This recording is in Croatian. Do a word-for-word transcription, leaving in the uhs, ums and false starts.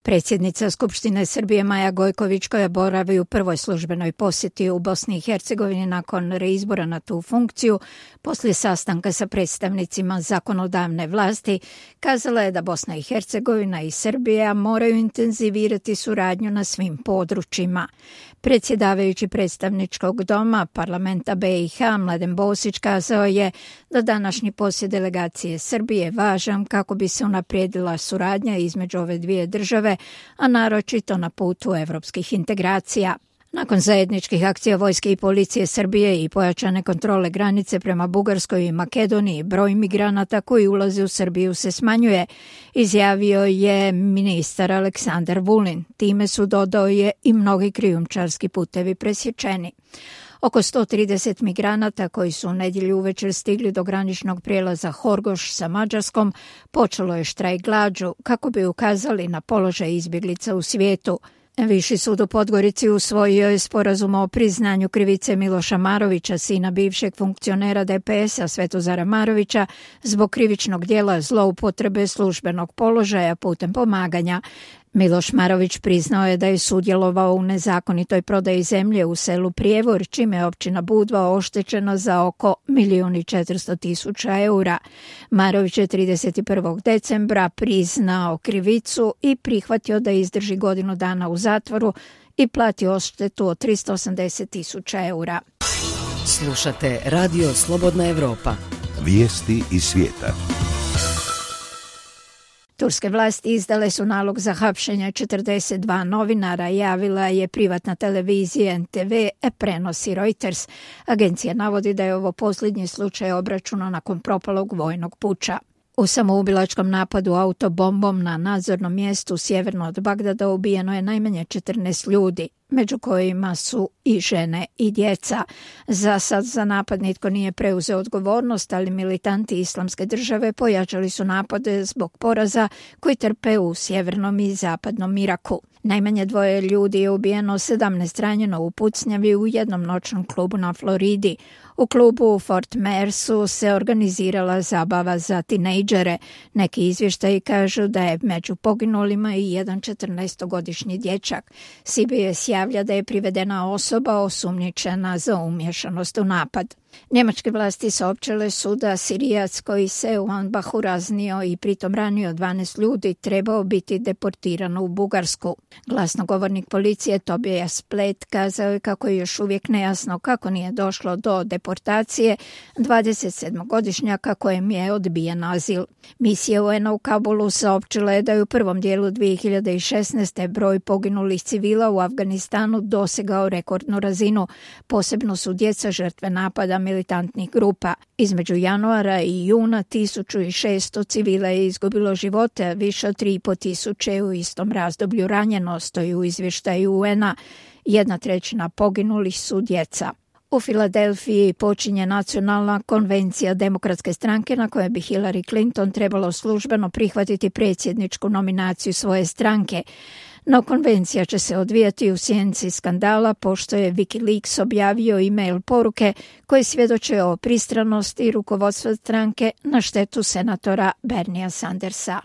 Predsjednica Skupštine Srbije Maja Gojković, koja boravi u prvoj službenoj posjeti u Bosni i Hercegovini nakon reizbora na tu funkciju, poslije sastanka sa predstavnicima zakonodavne vlasti, kazala je da Bosna i Hercegovina i Srbija moraju intenzivirati suradnju na svim područjima. Predsjedavajući predstavničkog doma parlamenta B i H Mladen Bosić kazao je da današnji posjet delegacije Srbije je važan kako bi se unaprijedila suradnja između ove dvije države, a naročito na putu evropskih integracija. Nakon zajedničkih akcija vojske i policije Srbije i pojačane kontrole granice prema Bugarskoj i Makedoniji, broj migranata koji ulaze u Srbiju se smanjuje, izjavio je ministar Aleksandar Vulin. Time su, dodao je, i mnogi krijumčarski putevi presječeni. Oko sto trideset migranata koji su u nedjelju uvečer stigli do graničnog prijelaza Horgoš sa Mađarskom počelo je štrajk glađu kako bi ukazali na položaj izbjeglica u svijetu. Viši sud u Podgorici usvojio je sporazum o priznanju krivice Miloša Marovića, sina bivšeg funkcionera D P S-a Svetozara Marovića, zbog krivičnog djela zloupotrebe službenog položaja putem pomaganja. Miloš Marović priznao je da je sudjelovao u nezakonitoj prodaji zemlje u selu Prijevor, čime je općina Budva oštećena za oko milijun i četiristo tisuća eura. Marović je trideset prvog decembra priznao krivicu i prihvatio da izdrži godinu dana u zatvoru i plati odštetu od tristo osamdeset tisuća eura. Slušate Radio Slobodna Evropa. Vijesti iz svijeta. Turske vlasti izdale su nalog za hapšenje četrdeset dva novinara, javila je privatna televizija N T V, prenosi Reuters. Agencija navodi da je ovo posljednji slučaj obračuna nakon propalog vojnog puča. U samoubilačkom napadu autobombom na nadzornom mjestu sjeverno od Bagdada ubijeno je najmanje četrnaest ljudi, među kojima su i žene i djeca. Za sad za napad nitko nije preuzeo odgovornost, ali militanti Islamske države pojačali su napade zbog poraza koji trpe u sjevernom i zapadnom Iraku. Najmanje dvoje ljudi je ubijeno, sedamnaest ranjeno u pucnjavi u jednom noćnom klubu na Floridi. U klubu u Fort Myersu se organizirala zabava za tinejdžere. Neki izvještaji kažu da je među poginulima i jedan četrnaestogodišnji dječak. C B S javlja da je privedena osoba osumnjičena za umješanost u napad. Njemačke vlasti saopćile su da Sirijac koji se u Anbahu raznio i pritom ranio dvanaest ljudi trebao biti deportiran u Bugarsku. Glasnogovornik policije Tobias Splet kazao je kako je još uvijek nejasno kako nije došlo do deportacije dvadesetsedmogodišnjaka kojem je odbijen azil. Misija U N-a u Kabulu saopćila je da je u prvom dijelu dvije hiljade šesnaeste. broj poginulih civila u Afganistanu dosegao rekordnu razinu. Posebno su djeca žrtve napada militantnih grupa. Između januara i juna tisuću šesto civila je izgubilo živote, više od tri i po tisuće u istom razdoblju ranjeno, stoji u izvještaju U N-a. Jedna trećina poginulih su djeca. U Filadelfiji počinje nacionalna konvencija Demokratske stranke na kojoj bi Hillary Clinton trebalo službeno prihvatiti predsjedničku nominaciju svoje stranke. No konvencija će se odvijati u sjenci skandala pošto je Wikileaks objavio e-mail poruke koje svjedoče o pristranosti rukovodstva stranke na štetu senatora Bernia Sandersa.